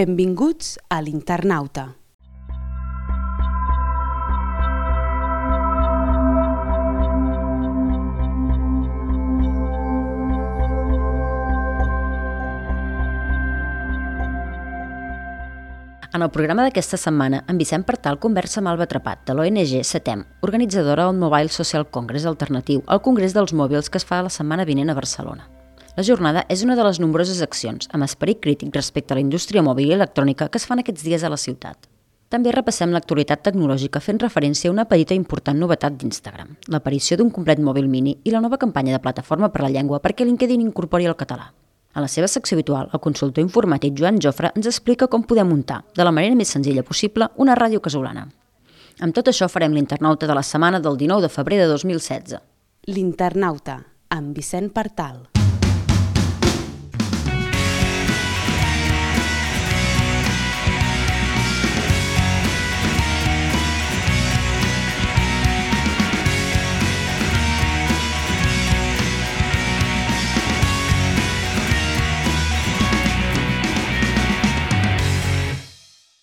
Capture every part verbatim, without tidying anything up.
Benvinguts a l'Internauta. En el programa d'aquesta setmana, en Vicent Partal conversa amb Alba Trepat, de l'O N G SETEM, organitzadora del Mobile Social Congress alternatiu al Congrés dels Mòbils que es fa la setmana vinent a Barcelona. La jornada és una de les nombroses accions amb esperit crític respecte a la indústria mòbil i electrònica que es fan aquests dies a la ciutat. També repassem l'actualitat tecnològica fent referència a una petita i important novetat d'Instagram, l'aparició d'un complet mòbil mini i la nova campanya de Plataforma per la Llengua perquè LinkedIn incorpori el català. A la seva secció habitual, el consultor informàtic Joan Jofre ens explica com podem muntar, de la manera més senzilla possible, una ràdio casolana. Amb tot això farem l'Internauta de la setmana del dinou de febrer de dos mil setze. L'Internauta, amb Vicent Partal.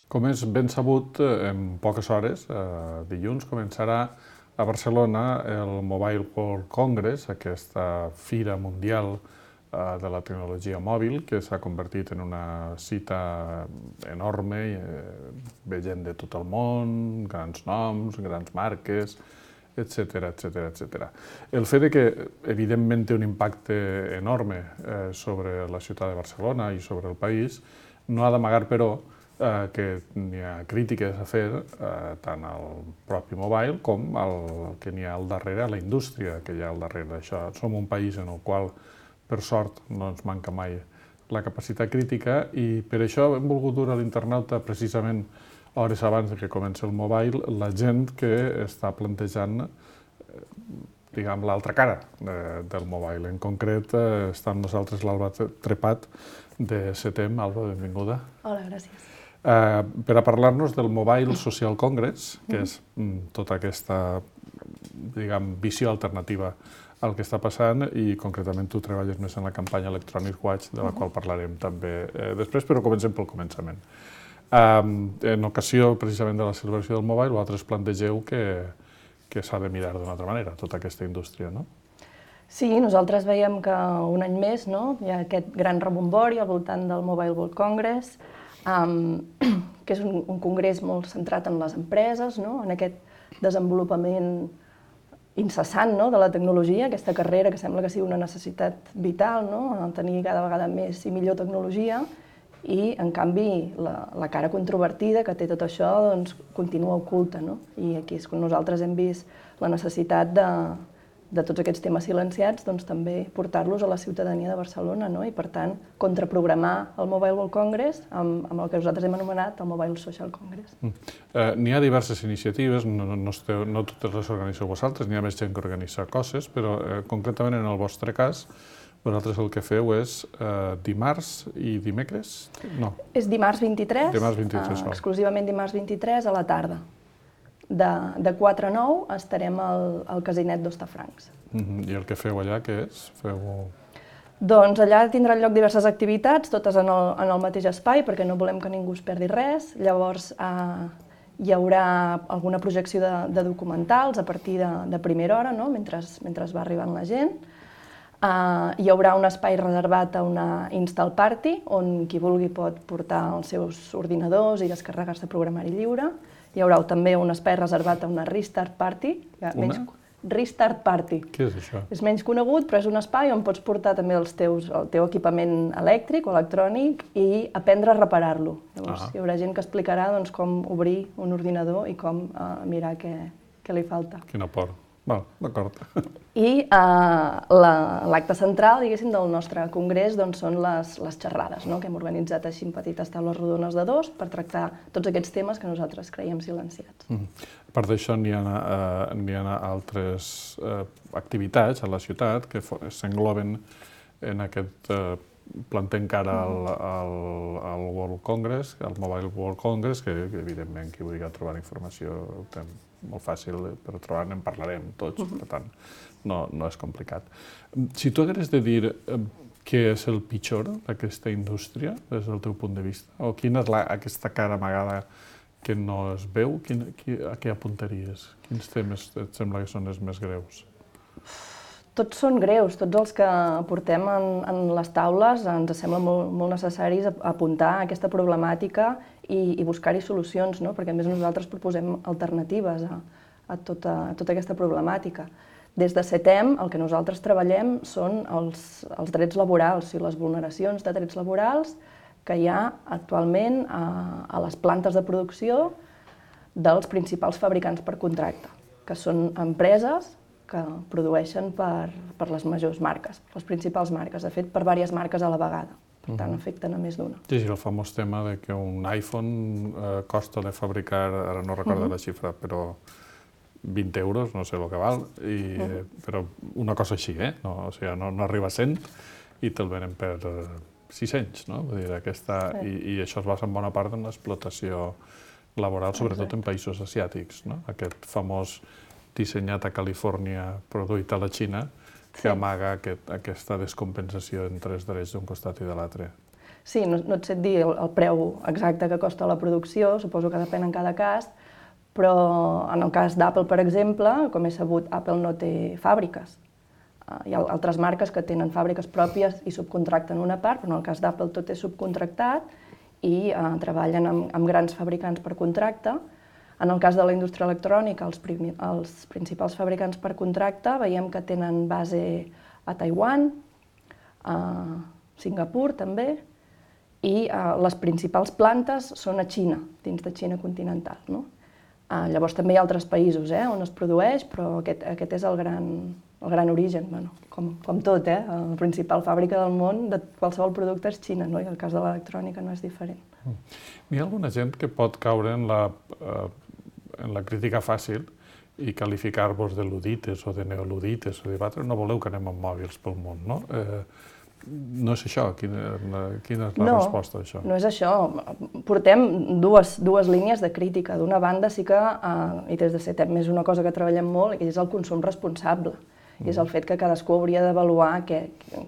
Com és ben sabut, en poques hores, dilluns, començarà a Barcelona el Mobile World Congress, aquesta fira mundial de la tecnologia mòbil, que s'ha convertit en una cita enorme, ve gent de tot el món, grans noms, grans marques, etcètera, etcètera, etcètera. El fet que, evidentment, té un impacte enorme sobre la ciutat de Barcelona i sobre el país, no ha d'amagar, però, que n'hi ha crítiques a fer tant al propi mobile com al que n'hi ha al darrere, a la indústria que hi ha al darrere d'això. Som un país en el qual, per sort, no ens manca mai la capacitat crítica i per això hem volgut dur a l'Internauta precisament hores abans que comenci el mobile la gent que està plantejant diguem, l'altra cara del mobile. En concret, està amb nosaltres l'Alba Trepat de SETEM. Alba, benvinguda. Hola, gràcies. Uh, per a parlar-nos del Mobile Social Congress, que és mm, tota aquesta diguem, visió alternativa al que està passant i concretament tu treballes més en la campanya Electronic Watch, de la qual parlarem també eh, després, però comencem pel començament. Um, en ocasió precisament de la celebració del Mobile, vosaltres plantegeu que, que s'ha de mirar d'una altra manera tota aquesta indústria, no? Sí, nosaltres veiem que un any més no, hi ha aquest gran rebombori al voltant del Mobile World Congress, Um, que és un, un congrés molt centrat en les empreses, no? En aquest desenvolupament incessant no? de la tecnologia, aquesta carrera que sembla que sigui una necessitat vital, no? Tenir cada vegada més i millor tecnologia, i en canvi la, la cara controvertida que té tot això doncs, continua oculta. No? I aquí és quan nosaltres hem vist la necessitat de, de tots aquests temes silenciats, doncs també portar-los a la ciutadania de Barcelona, no? I per tant contraprogramar el Mobile World Congress amb, amb el que nosaltres hem anomenat el Mobile Social Congress. Mm. Uh, N'hi ha diverses iniciatives, no, no, esteu, no totes les organitzeu vosaltres, n'hi ha més gent que organitza coses, però uh, concretament en el vostre cas, vosaltres el que feu és uh, dimarts i dimecres? No. És dimarts vint-i-tres, dimarts vint-i-tres uh, exclusivament dimarts vint-i-tres a la tarda. De, de quatre a nou estarem al, al Casinet d'Hostafrancs. Mm-hmm. I el que feu allà, què és? Feu... Doncs allà tindran lloc diverses activitats, totes en el, en el mateix espai, perquè no volem que ningú es perdi res. Llavors eh, hi haurà alguna projecció de, de documentals a partir de, de primera hora, no? mentre, mentre va arribant la gent. Eh, hi haurà un espai reservat a una Install Party, on qui vulgui pot portar els seus ordinadors i descarregar-se programari lliure. Hi haurà també un espai reservat a una Restart Party. Una? Menys, Restart Party. Què és això? És menys conegut, però és un espai on pots portar també els teus, el teu equipament elèctric o electrònic i aprendre a reparar-lo. Llavors, ah. hi haurà gent que explicarà doncs, com obrir un ordinador i com uh, mirar què, què li falta. Quina por. Val, d'acord. I uh, l'acte central, diguéssim, del nostre congrés doncs, són les, les xerrades, no? Que hem organitzat així en petites taules rodones de dos per tractar tots aquests temes que nosaltres creiem silenciats. Mm. A part d'això, n'hi ha, uh, n'hi ha altres uh, activitats a la ciutat que s'engloben en aquest uh, planter encara al, al, al World Congress, al Mobile World Congress, que evidentment qui vulgui trobar informació ho té molt fàcil per trobar-ne, en parlarem tots, per tant, no, no és complicat. Si tu hagués de dir què és el pitjor d'aquesta indústria, des del teu punt de vista? O quina és la, aquesta cara amagada que no es veu? Quin, qui, a què apuntaries? Quins temes et sembla que són els més greus? Tots són greus, tots els que portem en, en les taules ens sembla molt, molt necessaris apuntar a aquesta problemàtica i, i buscar-hi solucions, no? Perquè a més nosaltres proposem alternatives a, a, tota, a tota aquesta problemàtica. Des de CETEM el que nosaltres treballem són els, els drets laborals i les vulneracions de drets laborals que hi ha actualment a, a les plantes de producció dels principals fabricants per contracte, que són empreses que produeixen per, per les majors marques, les principals marques, de fet per diverses marques a la vegada, per tant afecten a més d'una. Sí, sí, el famós tema de que un iPhone eh, costa de fabricar, ara no recordo uh-huh. la xifra, però vint euros, no sé el que val, i, uh-huh. però una cosa així, eh? No, o sigui, no, no arriba a cent i te'l venen per sis-cents, no? Vull dir, aquesta, sí. i, i això es basa en bona part en l'explotació laboral, sobretot Exacte. En països asiàtics, no? Aquest famós dissenyat a Califòrnia, produït a la Xina, que sí. amaga aquest, aquesta descompensació entre els drets d'un costat i de l'altre. Sí, no, no et sé dir el, el preu exacte que costa la producció, suposo que depèn en cada cas, però en el cas d'Apple, per exemple, com he sabut, Apple no té fàbriques. Hi ha altres marques que tenen fàbriques pròpies i subcontracten una part, però en el cas d'Apple tot és subcontractat i eh, treballen amb, amb grans fabricants per contracte. En el cas de la indústria electrònica, els, prim, els principals fabricants per contracte veiem que tenen base a Taiwan, a Singapur també, i eh, les principals plantes són a Xina, dins de Xina continental, no? Uh, llavors també hi ha altres països eh, on es produeix, però aquest, aquest és el gran, el gran origen, bueno, com, com tot, eh? La principal fàbrica del món de qualsevol producte és Xina, no? I el cas de l'electrònica no és diferent. Mm. Hi ha alguna gent que pot caure en la, uh, en la crítica fàcil i qualificar-vos de ludites o de neoludites, o dir, vosaltres no voleu que anem amb mòbils pel món, no? Eh, No és això? Quina, quina és la no, resposta a això? No és això. Portem dues, dues línies de crítica. D'una banda sí que, eh, i des de CETEM és una cosa que treballem molt, és el consum responsable. Mm. És el fet que cadascú hauria d'avaluar què,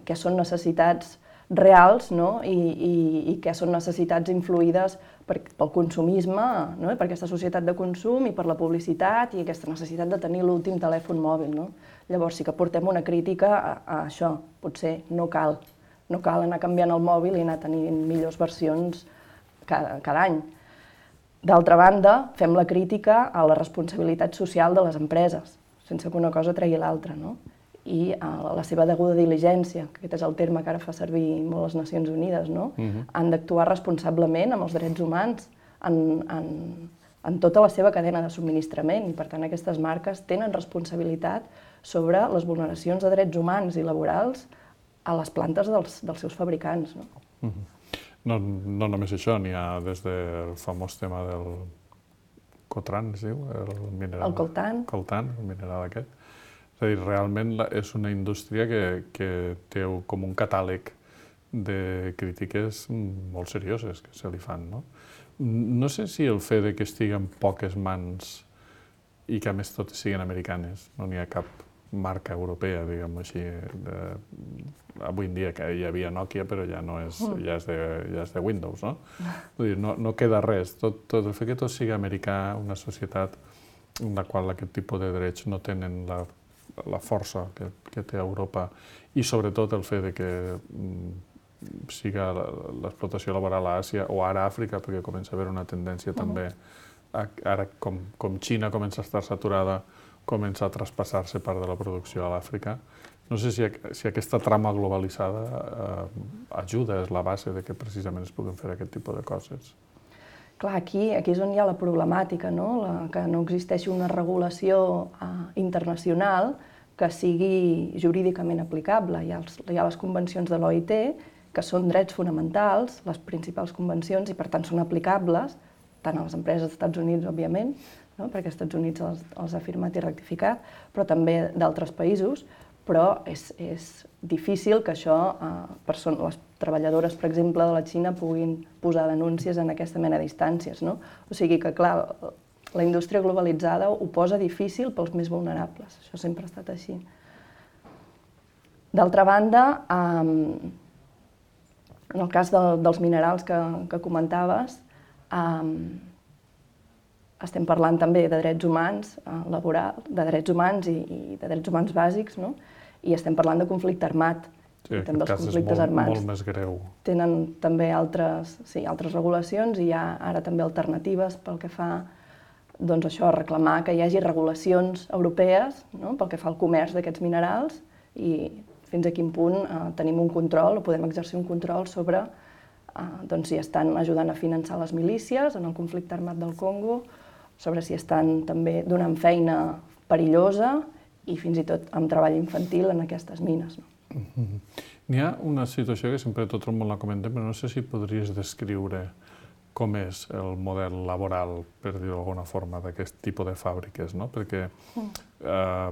què són necessitats reals, no? I, i, i què són necessitats influïdes per, pel consumisme, no? Per aquesta societat de consum i per la publicitat i aquesta necessitat de tenir l'últim telèfon mòbil, no? Llavors sí que portem una crítica a, a això. Potser no cal, no cal anar canviant el mòbil i anar tenint millors versions cada, cada any. D'altra banda, fem la crítica a la responsabilitat social de les empreses, sense que una cosa tregui l'altra, no? I a la seva deguda diligència, que aquest és el terme que ara fa servir molt les Nacions Unides, no? Uh-huh. Han d'actuar responsablement amb els drets humans en, en, en tota la seva cadena de subministrament i, per tant, aquestes marques tenen responsabilitat sobre les vulneracions de drets humans i laborals a les plantes dels, dels seus fabricants. No? Uh-huh. no, no només això, n'hi ha des del famós tema del Cotran, es diu? El, mineral, el coltan. Coltan, el mineral aquest. És a dir, realment és una indústria que, que té com un catàleg de crítiques molt serioses que se li fan, no? No sé si el fet de que estigui en poques mans i que a més totes siguin americanes, no n'hi ha cap marca europea, diguem-ho així, de, avui en dia que hi havia Nokia, però ja no és, ja és, de, ja és de Windows, no? Vull dir, no, no queda res. Tot, tot el fet que tot sigui americà, una societat en la qual aquest tipus de drets no tenen la, la força que, que té Europa i sobretot el fet de que mm, siga l'explotació laboral a Àsia o ara a Àfrica, perquè comença a haver una tendència també, a, ara com, com Xina comença a estar saturada, comença a traspassar-se part de la producció a l'Àfrica. No sé si, si aquesta trama globalitzada eh, ajuda, és la base de que precisament es puguin fer aquest tipus de coses. Clar, aquí, aquí és on hi ha la problemàtica, no? La, que no existeixi una regulació eh, internacional que sigui jurídicament aplicable. Hi ha, els, hi ha les convencions de l'O I T, que són drets fonamentals, les principals convencions, i per tant són aplicables, tant a les empreses dels Estats Units, òbviament, no? Perquè els Estats Units els, els ha firmat i rectificat, però també d'altres països, però és, és difícil que això, eh, person- les treballadores, per exemple, de la Xina puguin posar denúncies en aquesta mena d'instàncies, no? O sigui que, clar, la indústria globalitzada ho posa difícil pels més vulnerables, això sempre ha estat així. D'altra banda, eh, En el cas de, dels minerals que, que comentaves, um, estem parlant també de drets humans uh, laborals, de drets humans i, i de drets humans bàsics, no? I estem parlant de conflicte armat. Sí, I també els cas és conflictes molt, armats molt més greu. tenen també altres, sí, altres regulacions i hi ha ara també alternatives pel que fa doncs això, a reclamar que hi hagi regulacions europees, no? Pel que fa al comerç d'aquests minerals i fins a quin punt eh, tenim un control o podem exercir un control sobre eh, doncs, si estan ajudant a finançar les milícies en el conflicte armat del Congo, sobre si estan també donant feina perillosa i fins i tot amb treball infantil en aquestes mines. No? Mm-hmm. N'hi ha una situació que sempre tot el món la comenta, però no sé si podries descriure com és el model laboral, per dir-ho d'alguna forma, d'aquest tipus de fàbriques, no? Perquè eh,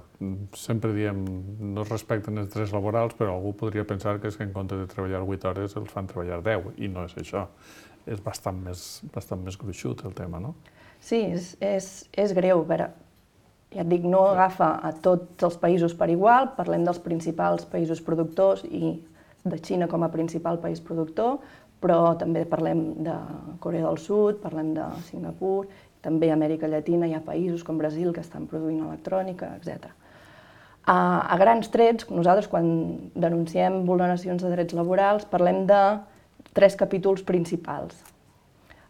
sempre diem no es respecten els drets laborals, però algú podria pensar que és que en comptes de treballar vuit hores els fan treballar deu, i no és això. És bastant més, bastant més gruixut el tema, no? Sí, és, és, és greu. A veure, ja et dic, no agafa a tots els països per igual, parlem dels principals països productors i de Xina com a principal país productor, però també parlem de Corea del Sud, parlem de Singapur, també a Amèrica Llatina hi ha països com Brasil que estan produint electrònica, etcètera. A, a grans trets, nosaltres quan denunciem vulneracions de drets laborals parlem de tres capítols principals.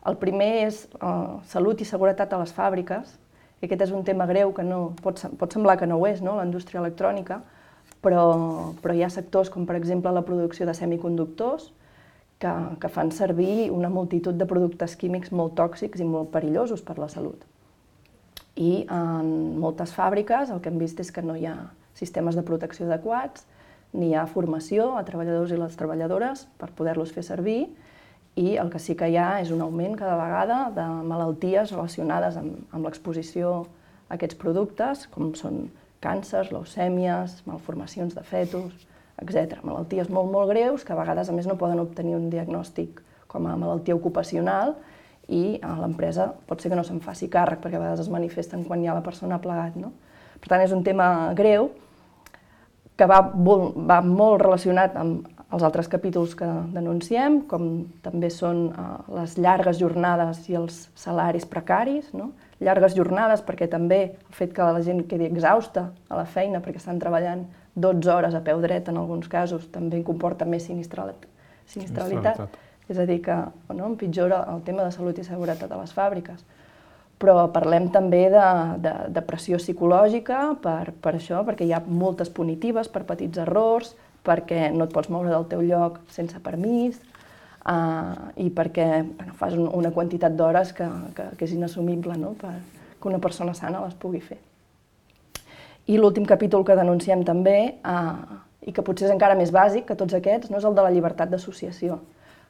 El primer és uh, salut i seguretat a les fàbriques, i aquest és un tema greu que no, pot, pot semblar que no ho és, no? La indústria electrònica, però, però hi ha sectors com per exemple la producció de semiconductors, Que, que fan servir una multitud de productes químics molt tòxics i molt perillosos per la salut. I en moltes fàbriques el que hem vist és que no hi ha sistemes de protecció adequats, ni hi ha formació a treballadors i les treballadores per poder-los fer servir, i el que sí que hi ha és un augment cada vegada de malalties relacionades amb, amb l'exposició a aquests productes, com són càncers, leucèmies, malformacions de fetus, etcètera. Malalties molt, molt greus que a vegades, a més, no poden obtenir un diagnòstic com a malaltia ocupacional i l'empresa pot ser que no se'n faci càrrec perquè a vegades es manifesten quan hi ha la persona plegat. No? Per tant, és un tema greu que va, va molt relacionat amb els altres capítols que denunciem, com també són uh, les llargues jornades i els salaris precaris. No? Llargues jornades perquè també el fet que la gent quedi exhausta a la feina perquè estan treballant dotze hores a peu dret en alguns casos també comporta més sinistralitat. sinistralitat. És a dir, que no, empitjora el tema de salut i seguretat a les fàbriques. Però parlem també de, de, de pressió psicològica per, per això, perquè hi ha moltes punitives per petits errors, perquè no et pots moure del teu lloc sense permís, uh, i perquè bueno, fas un, una quantitat d'hores que, que, que és inassumible, no? Per que una persona sana les pugui fer. I l'últim capítol que denunciem també, eh, i que potser és encara més bàsic que tots aquests, no és el de la llibertat d'associació.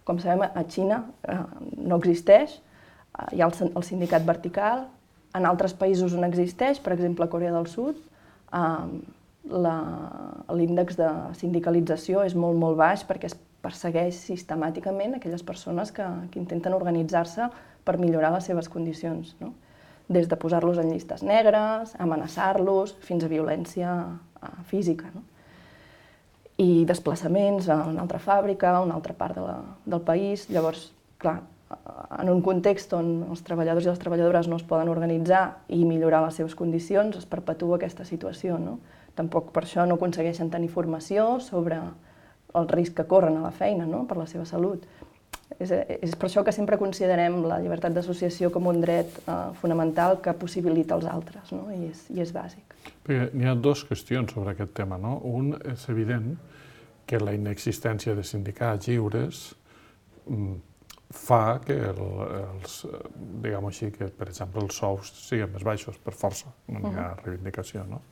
Com sabem, a Xina eh, no existeix, eh, hi ha el, el sindicat vertical, en altres països on existeix, per exemple a Corea del Sud, eh, l'índex de sindicalització és molt, molt baix perquè es persegueix sistemàticament aquelles persones que, que intenten organitzar-se per millorar les seves condicions, no? Des de posar-los en llistes negres, amenaçar-los, fins a violència uh, física. No? I desplaçaments a una altra fàbrica, a una altra part de la, del país. Llavors, clar, en un context on els treballadors i les treballadores no es poden organitzar i millorar les seves condicions, es perpetua aquesta situació. No? Tampoc per això no aconsegueixen tenir formació sobre el risc que corren a la feina, no? Per la seva salut. És, és per això que sempre considerem la llibertat d'associació com un dret eh, fonamental que possibilita els altres, no? I, és, i és bàsic. Perquè n'hi ha dues qüestions sobre aquest tema, no? Un, és evident que la inexistència de sindicats lliures mm, fa que el, els, diguem així, que per exemple els sous siguin més baixos per força, no n'hi ha reivindicació, no?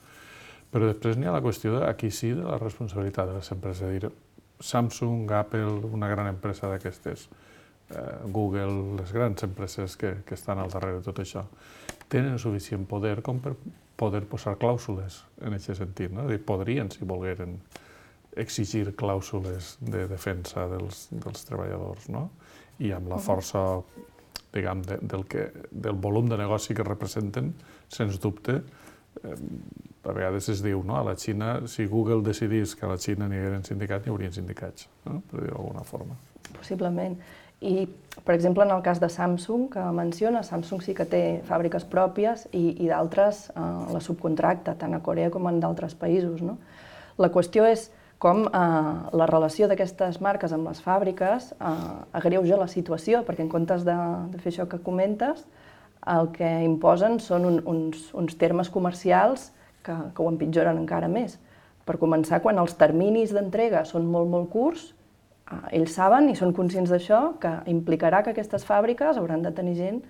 Però després n'hi ha la qüestió de, aquí sí, de la responsabilitat de les empreses, és a dir, Samsung, Apple, una gran empresa d'aquestes, eh, Google, les grans empreses que, que estan al darrere de tot això, tenen suficient poder com per poder posar clàusules en aquest sentit, no? És a dir, podrien, si volgueren, exigir clàusules de defensa dels, dels treballadors, no? I amb la força, diguem, de, del, que, del volum de negoci que representen, sens dubte, a vegades es diu, no? A la Xina, si Google decidís que a la Xina n'hi hagueren sindicats, n'hi haurien sindicats, no? Per dir-ho d'alguna forma. Possiblement. I, per exemple, en el cas de Samsung, que menciona, Samsung sí que té fàbriques pròpies i, i d'altres eh, la subcontracta, tant a Corea com en d'altres països, no? La qüestió és com eh, la relació d'aquestes marques amb les fàbriques eh, agreuja la situació, perquè en comptes de, de fer això que comentes, el que imposen són un, uns, uns termes comercials que, que ho empitjoren encara més. Per començar, quan els terminis d'entrega són molt, molt curts, ells saben i són conscients d'això, que implicarà que aquestes fàbriques hauran de tenir gent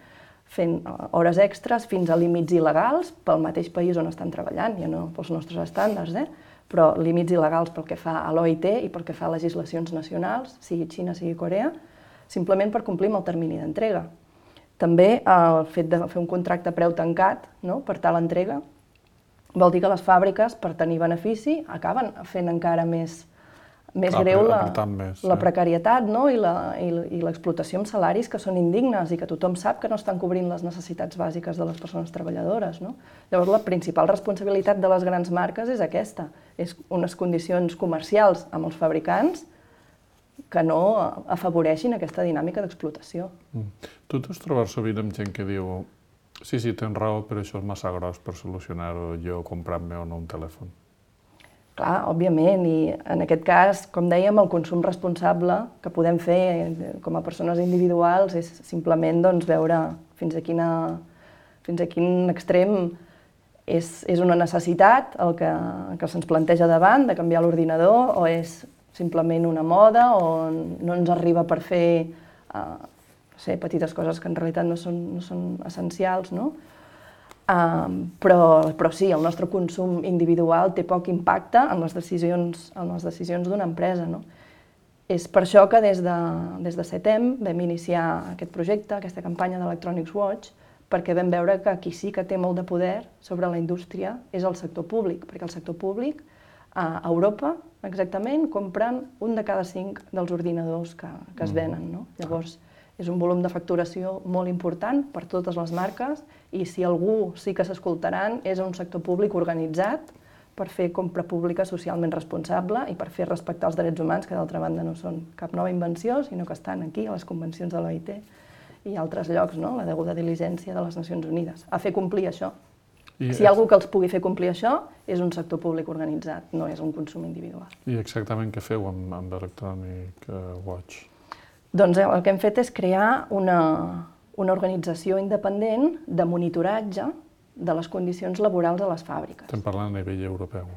fent hores extres fins a límits il·legals pel mateix país on estan treballant, ja no pels nostres estàndards, eh? Però límits il·legals pel que fa a l'O I T i pel que fa a legislacions nacionals, sigui Xina, sigui Corea, simplement per complir amb el termini d'entrega. També el fet de fer un contracte a preu tancat, no?, per tal entrega, vol dir que les fàbriques, per tenir benefici, acaben fent encara més més Clar, greu la, més, la eh? precarietat, no? I l'explotació amb salaris que són indignes i que tothom sap que no estan cobrint les necessitats bàsiques de les persones treballadores, no? Llavors, la principal responsabilitat de les grans marques és aquesta, és unes condicions comercials amb els fabricants que no afavoreixin aquesta dinàmica d'explotació. Mm. Tu t'has trobat sovint amb gent que diu sí, sí, tens raó, però això és massa gros per solucionar-ho jo comprant-me o no un telèfon. Clar, òbviament, i en aquest cas, com dèiem, el consum responsable que podem fer com a persones individuals és simplement doncs, veure fins a, quina, fins a quin extrem és, és una necessitat el que, que se'ns planteja davant de canviar l'ordinador o és simplement una moda o no ens arriba per fer eh, no sé, petites coses que en realitat no són, no són essencials, no? Um, però, però sí, el nostre consum individual té poc impacte en les decisions, en les decisions d'una empresa, no? És per això que des de, des de setem vam iniciar aquest projecte, aquesta campanya d'Electronics Watch, perquè vam veure que qui sí que té molt de poder sobre la indústria és el sector públic, perquè el sector públic a Europa, exactament, compren un de cada cinc dels ordinadors que, que es venen, no? Llavors, és un volum de facturació molt important per totes les marques i si algú sí que s'escoltaran és un sector públic organitzat per fer compra pública socialment responsable i per fer respectar els drets humans, que d'altra banda no són cap nova invenció, sinó que estan aquí a les convencions de l'O I T i altres llocs, no? La deguda diligència de les Nacions Unides, a fer complir això. I si hi ha algú que els pugui fer complir això, és un sector públic organitzat, no és un consum individual. I exactament què feu amb, amb Electronic Watch? Doncs el que hem fet és crear una, una organització independent de monitoratge de les condicions laborals a les fàbriques. Estem parlant a nivell europeu.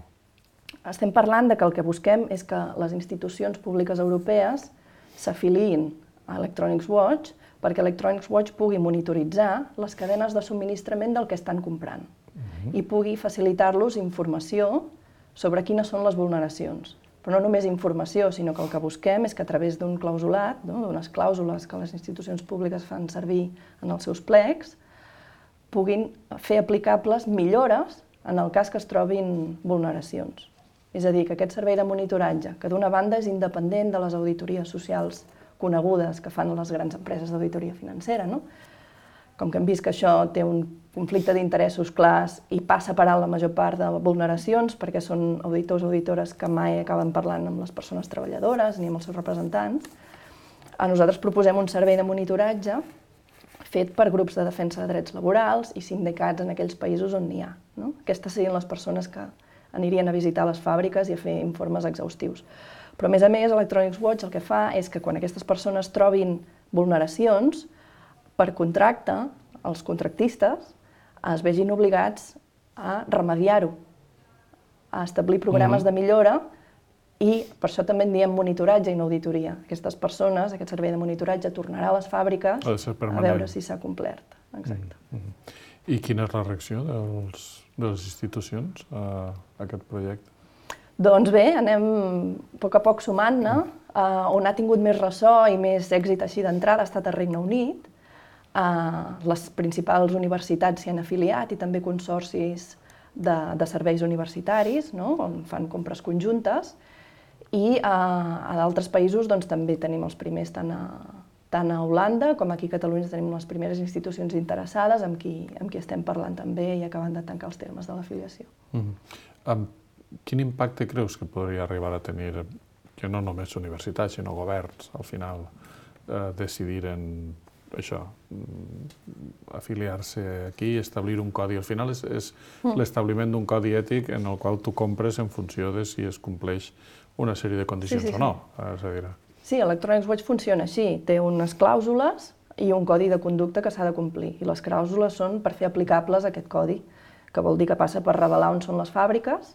Estem parlant de que el que busquem és que les institucions públiques europees s'afiliïn a Electronics Watch perquè Electronics Watch pugui monitoritzar les cadenes de subministrament del que estan comprant uh-huh. i pugui facilitar-los informació sobre quines són les vulneracions. Però no només informació, sinó que el que busquem és que a través d'un clausulat, no, d'unes clàusules que les institucions públiques fan servir en els seus plecs, puguin fer aplicables millores en el cas que es trobin vulneracions. És a dir, que aquest servei de monitoratge, que d'una banda és independent de les auditories socials conegudes que fan les grans empreses d'auditoria financera, no? Com que hem vist que això té un conflicte d'interessos clars i passa per alt la major part de vulneracions, perquè són auditors o auditores que mai acaben parlant amb les persones treballadores ni amb els seus representants, a nosaltres proposem un servei de monitoratge fet per grups de defensa de drets laborals i sindicats en aquells països on n'hi ha. No? Aquestes serien les persones que anirien a visitar les fàbriques i a fer informes exhaustius. Però, a més a més, Electronics Watch el que fa és que quan aquestes persones trobin vulneracions, per contracte, els contractistes es vegin obligats a remediar-ho, a establir programes de millora i per això també en diem monitoratge i no auditoria. Aquestes persones, aquest servei de monitoratge, tornarà a les fàbriques a veure si s'ha complert. Exacte. Mm-hmm. I quina és la reacció dels, de les institucions a aquest projecte? Doncs bé, anem a poc a poc sumant-ne. Uh, on ha tingut més ressò i més èxit així d'entrada ha estat al Regne Unit. Uh, les principals universitats s'hi han afiliat i també consorcis de, de serveis universitaris, no? On fan compres conjuntes. I uh, a d'altres països doncs, també tenim els primers tant a, tant a Holanda com aquí a Catalunya tenim les primeres institucions interessades amb qui, amb qui estem parlant també i acabant de tancar els termes de l'afiliació. Mm-hmm. um, quin impacte creus que podria arribar a tenir, que no només universitats, sinó governs, al final, eh, decidiren això, afiliar-se aquí, establir un codi. Al final és, és mm. l'establiment d'un codi ètic en el qual tu compres en funció de si es compleix una sèrie de condicions sí, sí, o no. Sí. És a dir... Sí, Electronics Watch funciona així. Té unes clàusules i un codi de conducta que s'ha de complir. I les clàusules són per fer aplicables aquest codi, que vol dir que passa per revelar on són les fàbriques,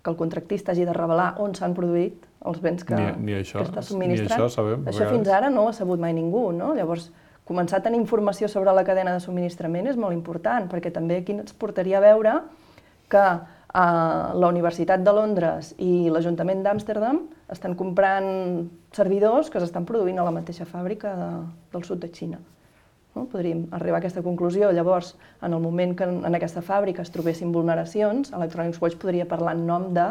que el contractista hagi de revelar on s'han produït els béns que, ni, ni això, que està subministrant. Ni això sabem. Això fins ara no ho ha sabut mai ningú, no? Llavors, començar a tenir informació sobre la cadena de subministrament és molt important, perquè també aquí ens portaria a veure que eh, la Universitat de Londres i l'Ajuntament d'Amsterdam estan comprant servidors que s'estan produint a la mateixa fàbrica de, del sud de Xina. No? Podríem arribar a aquesta conclusió. Llavors, en el moment que en aquesta fàbrica es trobessin vulneracions, Electronics Watch podria parlar en nom de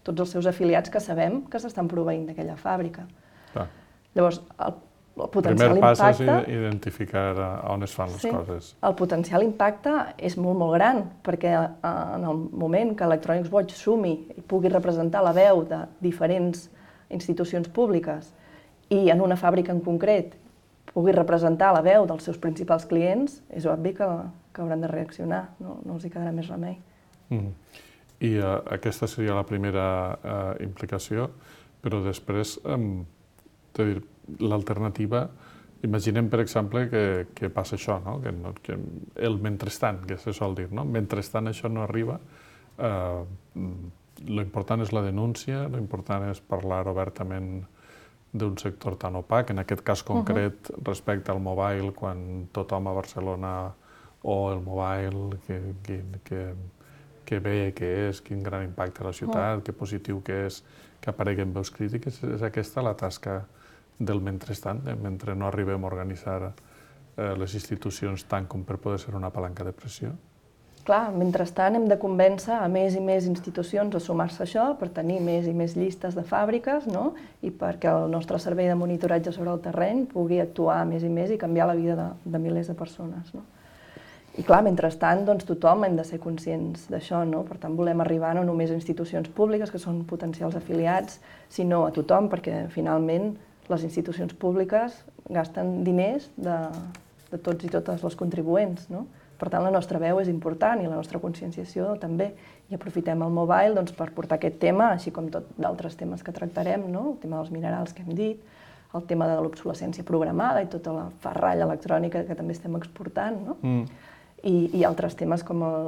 tots els seus afiliats que sabem que s'estan proveint d'aquella fàbrica. Clar. Llavors, el El potencial primer pas impacte, és identificar on es fan les sí, coses. El potencial impacte és molt, molt gran, perquè en el moment que Electronics Watch sumi i pugui representar la veu de diferents institucions públiques i en una fàbrica en concret pugui representar la veu dels seus principals clients, és obvi que, que hauran de reaccionar, no, no els hi quedarà més remei. Mm. I uh, aquesta seria la primera uh, implicació, però després, um, dir, l'alternativa, imaginem, per exemple, que, que passa això, no? Que, no, que el mentrestant, que se sol dir, no? Mentrestant això no arriba, eh, l'important és la denúncia, l'important és parlar obertament d'un sector tan opac, en aquest cas concret, uh-huh. respecte al mobile, quan tothom a Barcelona, o el mobile, que, que, que, que bé que és, quin gran impacte a la ciutat, uh-huh. que positiu que és, que apareguen veus crítiques, és aquesta la tasca del mentrestant, eh? Mentre no arribem a organitzar eh, les institucions tant com per poder ser una palanca de pressió. Clar, mentrestant hem de convèncer a més i més institucions a sumar-se a això per tenir més i més llistes de fàbriques, no? I perquè el nostre servei de monitoratge sobre el terreny pugui actuar més i més i canviar la vida de, de milers de persones. No? I clar, mentrestant, doncs, tothom hem de ser conscients d'això, no? Per tant, volem arribar no només a institucions públiques, que són potencials afiliats, sinó a tothom, perquè finalment les institucions públiques gasten diners de, de tots i totes els contribuents, no? Per tant, la nostra veu és important i la nostra conscienciació també. I aprofitem el mobile doncs, per portar aquest tema, així com tots d'altres temes que tractarem, no? El tema dels minerals que hem dit, el tema de l'obsolescència programada i tota la ferralla electrònica que també estem exportant, no? Mm. I, i altres temes com el,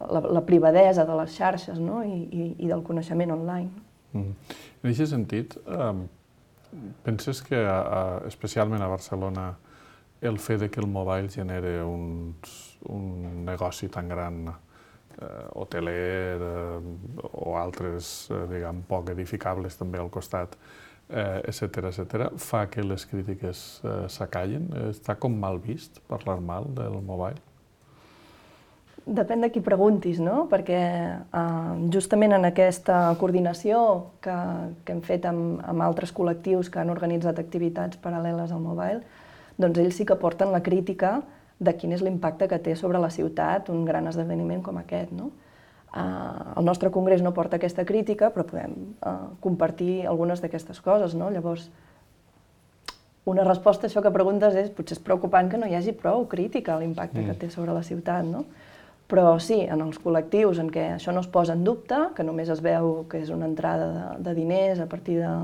la, la privadesa de les xarxes, no? I, i, i del coneixement online. Mm. En aquest sentit, eh, penses que, a, especialment a Barcelona, el fet de que el mobile genere un, un negoci tan gran, eh, hoteler eh, o altres, eh, diguem, poc edificables també al costat, eh, etcètera, etcètera, fa que les crítiques eh, s'acallen? Està com mal vist parlar mal del mobile? Depèn de qui preguntis, no? Perquè eh, justament en aquesta coordinació que, que hem fet amb, amb altres col·lectius que han organitzat activitats paral·leles al mobile, doncs ells sí que porten la crítica de quin és l'impacte que té sobre la ciutat un gran esdeveniment com aquest, no? Eh, el nostre congrés no porta aquesta crítica, però podem eh, compartir algunes d'aquestes coses, no? Llavors, una resposta a això que preguntes és potser és preocupant que no hi hagi prou crítica a l'impacte mm. que té sobre la ciutat, no? Però sí, en els col·lectius en què això no es posa en dubte, que només es veu que és una entrada de, de diners a partir de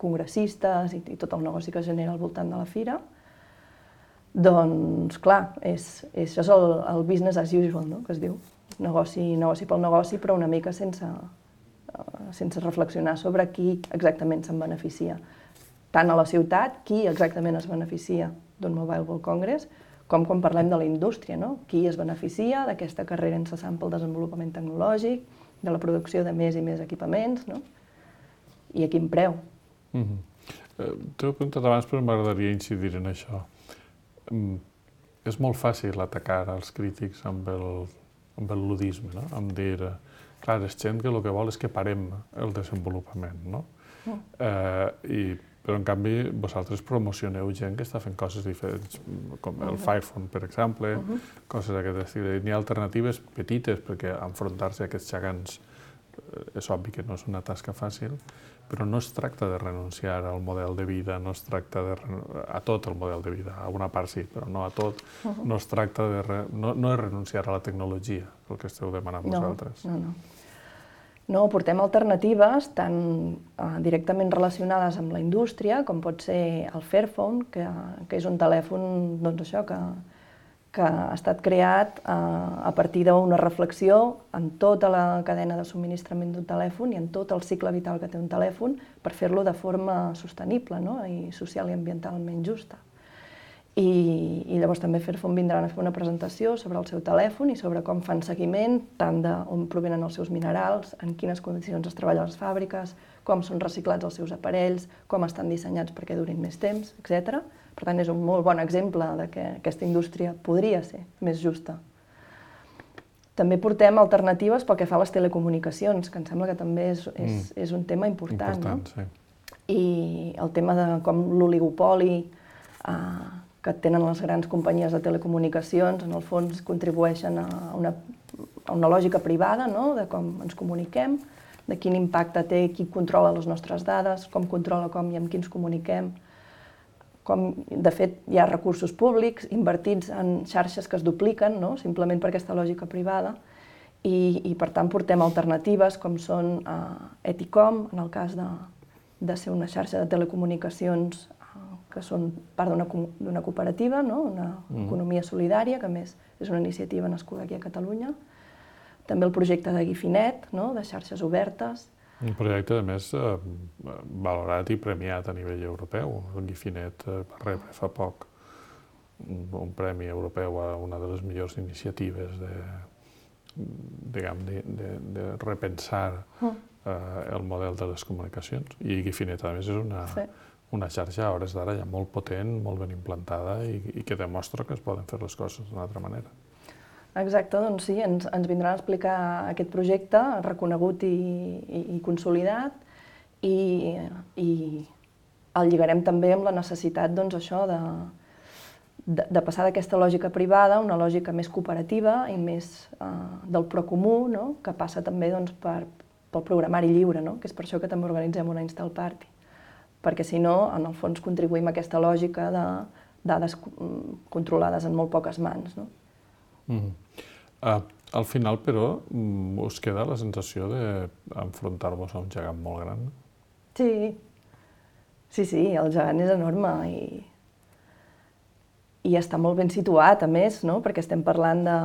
congressistes i, i tot el negoci que es genera al voltant de la fira, doncs, clar, és, és, això és el, el business as usual, no?, que es diu. Negoci, negoci pel negoci, però una mica sense, uh, sense reflexionar sobre qui exactament se'n beneficia. Tant a la ciutat, qui exactament es beneficia d'un Mobile World Congress, com quan parlem de la indústria, no? Qui es beneficia d'aquesta carrera incessant pel desenvolupament tecnològic, de la producció de més i més equipaments, no? I a quin preu. Mm-hmm. eh, T'ho he preguntat abans, però m'agradaria incidir en això. Mm, és molt fàcil atacar els crítics amb el, amb el ludisme, no? Amb dir, clar, és gent que el que vol és que parem el desenvolupament, no? Mm. Eh, I però en canvi vosaltres promocioneu gent que està fent coses diferents, com el Firephone, per exemple, uh -huh. coses d'aquest estil. N'hi ha alternatives petites, perquè enfrontar-se a aquests gegants és obvi que no és una tasca fàcil, però no es tracta de renunciar al model de vida, no es tracta de a tot el model de vida, a una part sí, però no a tot, uh -huh. no es tracta de... Re, no, no és renunciar a la tecnologia, el que esteu demanant no, vosaltres. No, no. No, portem alternatives tant eh, directament relacionades amb la indústria, com pot ser el Fairphone, que, que és un telèfon, doncs això, que, que ha estat creat eh, a partir d'una reflexió en tota la cadena de subministrament d'un telèfon i en tot el cicle vital que té un telèfon per fer-lo de forma sostenible, no? I social i ambientalment justa. I, i llavors també Fairphone vindran a fer una presentació sobre el seu telèfon i sobre com fan seguiment, tant d'on provenen els seus minerals, en quines condicions es treballa a les fàbriques, com són reciclats els seus aparells, com estan dissenyats perquè durin més temps, etcètera. Per tant, és un molt bon exemple de que aquesta indústria podria ser més justa. També portem alternatives pel que fa a les telecomunicacions, que em sembla que també és, és, és un tema important, important no? Sí. I el tema de com l'oligopoli eh, que tenen les grans companyies de telecomunicacions, en el fons contribueixen a una, a una lògica privada, no? De com ens comuniquem, de quin impacte té qui controla les nostres dades, com controla com i amb qui ens comuniquem. Com, de fet, hi ha recursos públics invertits en xarxes que es dupliquen, no? Simplement per aquesta lògica privada, i, i per tant portem alternatives com són eh, Eticom, en el cas de, de ser una xarxa de telecomunicacions que són part d'una cooperativa, no? Una mm. economia solidària, que a més és una iniciativa nascuda aquí a Catalunya. També el projecte de Guifinet, no? De xarxes obertes. Un projecte, a més, eh, valorat i premiat a nivell europeu. El Guifinet eh, va rebre fa poc un, un premi europeu a una de les millors iniciatives de, diguem, de, de, de repensar mm. eh, el model de les comunicacions. I Guifinet, a més, és una... Sí. una xarxa a hores d'ara ja molt potent, molt ben implantada i, i que demostra que es poden fer les coses d'una altra manera. Exacte, doncs sí, ens, ens vindran a explicar aquest projecte reconegut i, i, i consolidat i, i el lligarem també amb la necessitat, doncs, això de, de, de passar d'aquesta lògica privada a una lògica més cooperativa i més eh, del procomú, no? Que passa també, doncs, per, pel programari lliure, no? Que és per això que també organitzem una Install Party. Perquè si no, en el fons contribuïm a aquesta lògica de dades controlades en molt poques mans, no? Mm. Uh, al final, però, us queda la sensació d'enfrontar-vos a un gegant molt gran? Sí, sí, sí, el gegant és enorme i, i està molt ben situat, a més, no? Perquè estem parlant de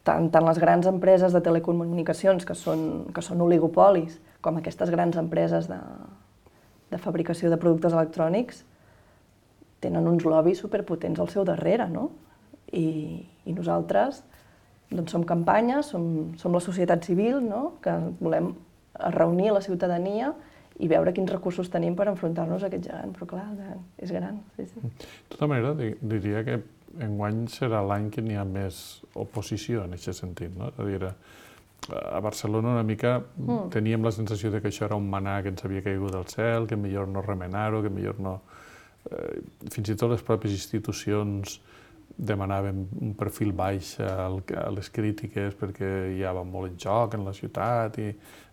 tant, tant les grans empreses de telecomunicacions, que són, que són oligopolis, com aquestes grans empreses de de fabricació de productes electrònics, tenen uns lobbies superpotents al seu darrere, no? I, i nosaltres doncs, som campanya, som, som la societat civil, no? Que volem reunir la ciutadania i veure quins recursos tenim per enfrontar-nos a aquest gegant, però clar, el gegant és gran. Sí, sí. De tota manera, diria que enguany serà l'any que n'hi ha més oposició en aquest sentit, no? És a dir, a Barcelona una mica mm. teníem la sensació de que això era un manà que ens havia caigut del cel, que millor no remenar-ho, que millor no... Eh, fins i tot les pròpies institucions demanaven un perfil baix a les crítiques perquè hi havia molt en joc en la ciutat i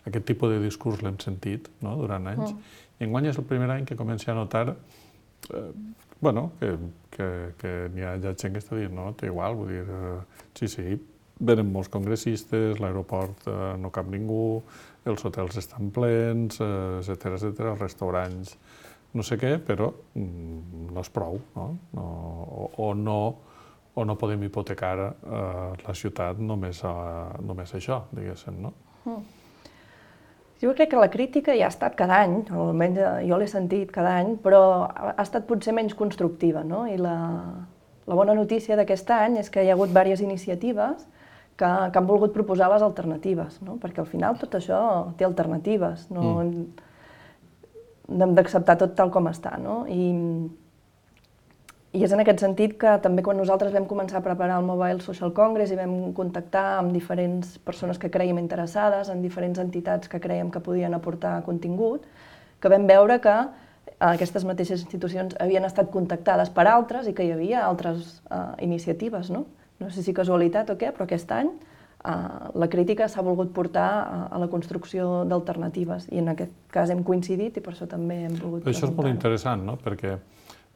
aquest tipus de discurs l'hem sentit, no? Durant anys. Mm. I enguany és el primer any que comença a notar eh, bueno, que, que, que n'hi ha gent que està dient, no, té igual, vull dir, eh, sí, sí, venen molts congressistes, l'aeroport eh, no cap ningú, els hotels estan plens, eh, etcètera, etcètera, els restaurants, no sé què, però mm, no és prou, no? No, o, o, no, o no podem hipotecar eh, la ciutat només a, només a això, diguéssim, no? Mm. Jo crec que la crítica ja ha estat cada any, almenys jo l'he sentit cada any, però ha estat potser menys constructiva, no? I la, la bona notícia d'aquest any és que hi ha hagut diverses iniciatives que, que han volgut proposar les alternatives, no? Perquè al final tot això té alternatives, no, mm. no hem d'acceptar tot tal com està, no? I, I és en aquest sentit que també quan nosaltres vam començar a preparar el Mobile Social Congress i vam contactar amb diferents persones que creiem interessades, en diferents entitats que creiem que podien aportar contingut, que vam veure que aquestes mateixes institucions havien estat contactades per altres i que hi havia altres uh, iniciatives, no? No sé si casualitat o què, però aquest any uh, la crítica s'ha volgut portar a, a la construcció d'alternatives i en aquest cas hem coincidit i per això també hem volgut presentar. Això és molt interessant, no? Perquè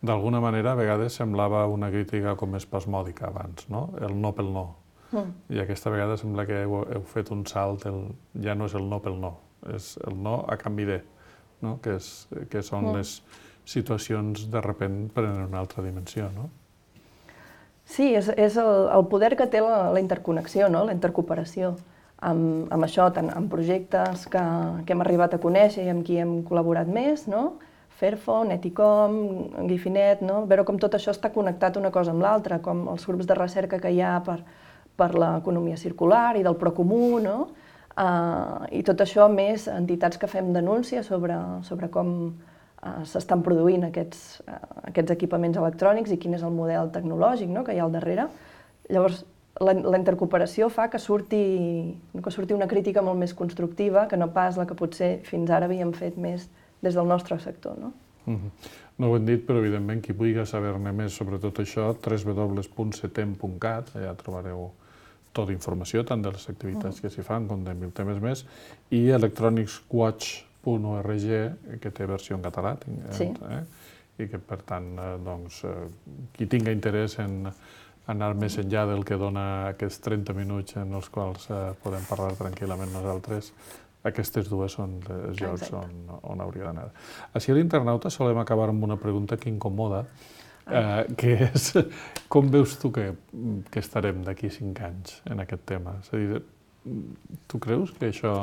d'alguna manera a vegades semblava una crítica com espasmòdica abans, no? El no pel no. Mm. I aquesta vegada sembla que heu, heu fet un salt, el, ja no és el no pel no, és el no a canvi de, no? que, és, que són mm. les situacions de repent prenen una altra dimensió, no? Sí, és, és el, el poder que té la, la interconnexió, no? La intercooperació. Amb, amb això, tant amb projectes que, que hem arribat a conèixer i amb qui hem col·laborat més, no? Fairphone, Eticom, Gifinet, no? Veure com tot això està connectat una cosa amb l'altra, com els grups de recerca que hi ha per, per l'economia circular i del Procomú, no? Uh, I tot això més entitats que fem denúncia sobre, sobre com uh, s'estan produint aquests, uh, aquests equipaments electrònics i quin és el model tecnològic, no? Que hi ha al darrere. Llavors, la, la intercooperació fa que surti, que surti una crítica molt més constructiva que no pas la que potser fins ara havíem fet més des del nostre sector, no? Mm-hmm. No ho hem dit, però evidentment qui vulgui saber-ne més sobre tot això, w w w punt setem punt cat, allà trobareu tota informació, tant de les activitats que s'hi fan com de mil temes més, i electronics watch punt org, que té versió en català, sí. eh? I que, per tant, eh, doncs, eh, qui tinga interès en anar més enllà del que dona aquests trenta minuts en els quals eh, podem parlar tranquil·lament nosaltres, aquestes dues són els llocs on, on hauria d'anar. Així a l'internauta solem acabar amb una pregunta que incomoda, eh, que és com veus tu que, que estarem d'aquí cinc anys en aquest tema? És a dir, tu creus que això,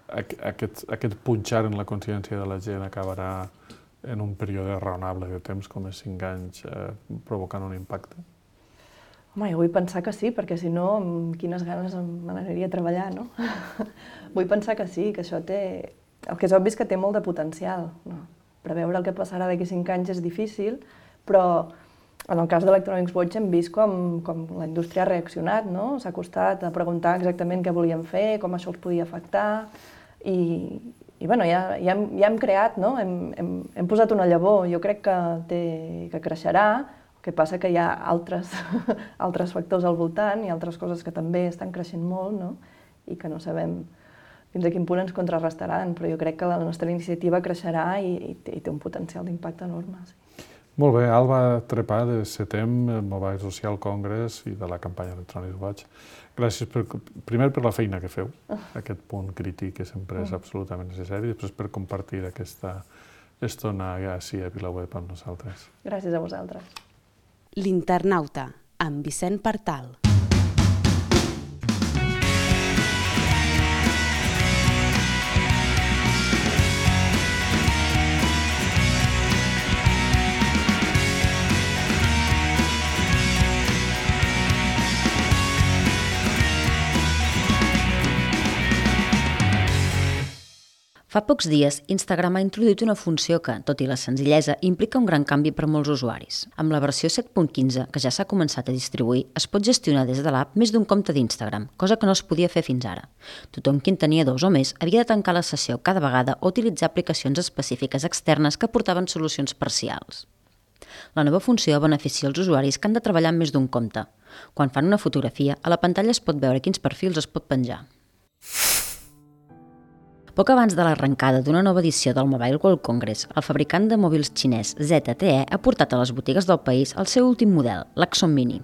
aquest, aquest punxar en la consciència de la gent acabarà en un període raonable de temps com és cinc anys eh, provocant un impacte? Home, jo vull pensar que sí, perquè si no, amb quines ganes me n'aniria a treballar, no? Vull pensar que sí, que això té... El que és obvi és que té molt de potencial, no? Preveure el que passarà d'aquí cinc anys és difícil, però en el cas d'Electronics Watch hem vist com, com la indústria ha reaccionat, no? S'ha costat a preguntar exactament què volien fer, com això els podia afectar, i, i bueno, ja, ja, hem, ja hem creat, no? Hem, hem, hem posat una llavor, jo crec que, té, que creixerà. El que passa que hi ha altres, altres factors al voltant i altres coses que també estan creixent molt, no? I que no sabem fins a quin punt ens contrarrestaran, però jo crec que la nostra iniciativa creixerà i, i, té, i té un potencial d'impacte enorme. Sí. Molt bé, Alba Trepà, de Setem, Mobile Social Congress i de la campanya Electronics Watch. Gràcies per, primer per la feina que feu, aquest punt crític que sempre és absolutament necessari, i després per compartir aquesta estona ací a VilaWeb amb nosaltres. Gràcies a vosaltres. L'Internauta, amb Vicent Partal. Fa pocs dies, Instagram ha introduït una funció que, tot i la senzillesa, implica un gran canvi per molts usuaris. Amb la versió set punt quinze, que ja s'ha començat a distribuir, es pot gestionar des de l'app més d'un compte d'Instagram, cosa que no es podia fer fins ara. Tothom qui en tenia dos o més havia de tancar la sessió cada vegada o utilitzar aplicacions específiques externes que portaven solucions parcials. La nova funció beneficia els usuaris que han de treballar amb més d'un compte. Quan fan una fotografia, a la pantalla es pot veure quins perfils es pot penjar. Poc abans de l'arrencada d'una nova edició del Mobile World Congress, el fabricant de mòbils xinès Z T E ha portat a les botigues del país el seu últim model, l'Axon Mini.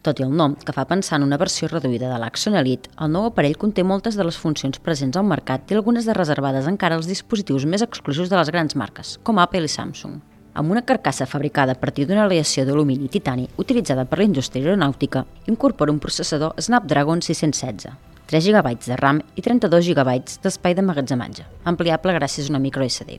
Tot i el nom, que fa pensar en una versió reduïda de l'Axon Elite, el nou aparell conté moltes de les funcions presents al mercat i algunes de reservades encara als dispositius més exclusius de les grans marques, com Apple i Samsung. Amb una carcassa fabricada a partir d'una aleació d'alumini i titani utilitzada per la indústria aeronàutica, incorpora un processador Snapdragon sis cents setze, tres gigabytes de RAM i trenta-dos gigabytes d'espai d'emmagatzematge, ampliable gràcies a una micro S D.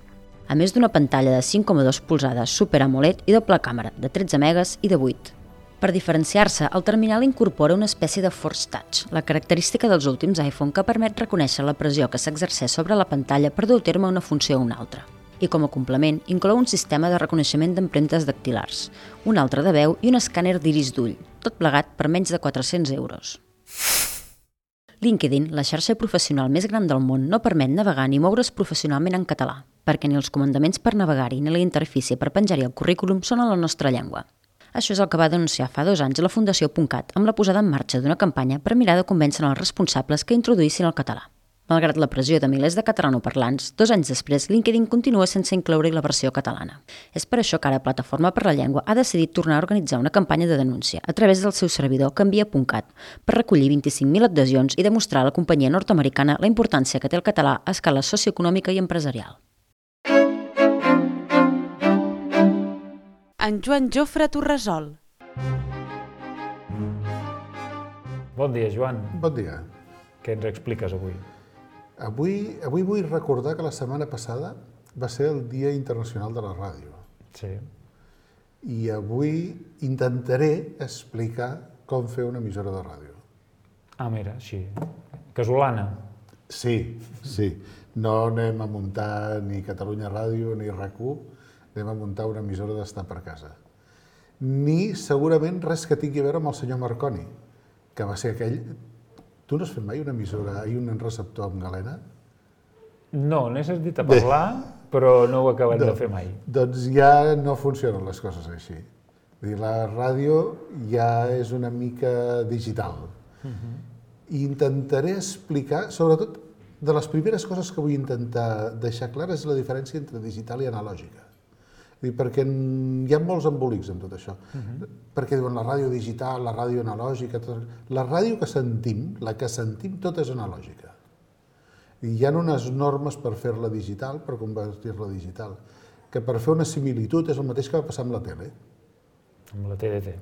A més d'una pantalla de cinc coma dos polzades Super AMOLED i doble càmera de tretze megas i de vuit. Per diferenciar-se, el terminal incorpora una espècie de Force Touch, la característica dels últims iPhone que permet reconèixer la pressió que s'exerceix sobre la pantalla per dur a terme una funció o una altra. I com a complement, inclou un sistema de reconeixement d'empremtes dactilars, un altre de veu i un escàner d'iris d'ull, tot plegat per menys de quatre-cents euros. LinkedIn, la xarxa professional més gran del món, no permet navegar ni moure's professionalment en català. perquè ni els comandaments per navegar-hi ni la interfície per penjar-hi el currículum són a la nostra llengua. Això és el que va denunciar fa dos anys la Fundació .cat amb la posada en marxa d'una campanya per mirar de convèncer els responsables que introduïssin el català. Malgrat la pressió de milers de catalanoparlants, dos anys després LinkedIn continua sense incloure-hi la versió catalana. És per això que ara Plataforma per la Llengua ha decidit tornar a organitzar una campanya de denúncia a través del seu servidor canvia punt cat per recollir vint-i-cinc mil adhesions i demostrar a la companyia nord-americana la importància que té el català a escala socioeconòmica i empresarial. En Joan Jofre Torresol. Bon dia, Joan. Bon dia. Què ens expliques avui? Avui, avui vull recordar que la setmana passada va ser el Dia Internacional de la Ràdio. Sí. I avui intentaré explicar com fer una emissora de ràdio. Ah, mira, així. Casolana. Sí, sí. No anem a muntar ni Catalunya Ràdio ni RAC u, anem a muntar una emissora d'estar per casa. Ni segurament res que tingui a veure amb el senyor Marconi, que va ser aquell... Tu no has fet mai una emissora i un receptor amb galena? No, n'he sentit a parlar, però no ho he acabat de fer mai. Doncs ja no funcionen les coses així. La ràdio ja és una mica digital. I intentaré explicar, sobretot, de les primeres coses que vull intentar deixar clar és la diferència entre digital i analògica. Perquè hi ha molts embolics en tot això. Perquè diuen la ràdio digital, la ràdio analògica... La ràdio que sentim, la que sentim, tot és analògica. Hi ha unes normes per fer-la digital, per convertir-la digital, que per fer una similitud és el mateix que va passar amb la tele. Amb la T D T.